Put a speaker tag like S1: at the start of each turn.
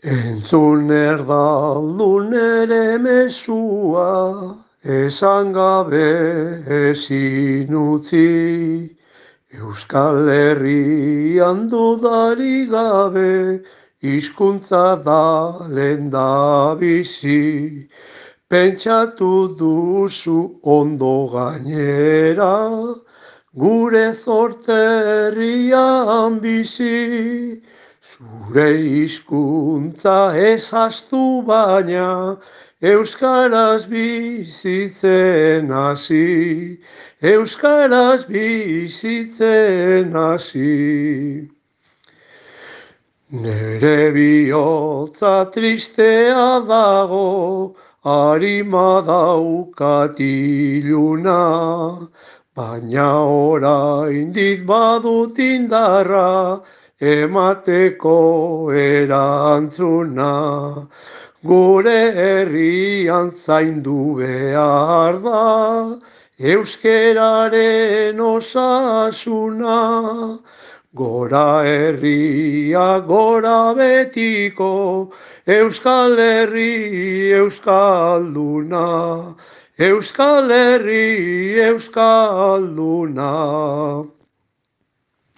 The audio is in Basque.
S1: Entzun erdaldun ere mesua, esan gabe ezin utzi. Euskal Herrian dudarik gabe, hizkuntza da lehendabizi. Pentsatu duzu ondo gainera, gure zorterrian bizi. Zure hizkuntza ezaztu baina, euskaraz bizitzen hasi, euskaraz bizitzen hasi. Nere bihotza tristea dago, harima daukat iluna, baina oraindik badut indarra, emateko erantzuna. Gure herrian zaindu behar da, euskeraren osasuna. Gora herria, gora betiko, Euskal Herri, Euskalduna. Euskal Herri, Euskalduna.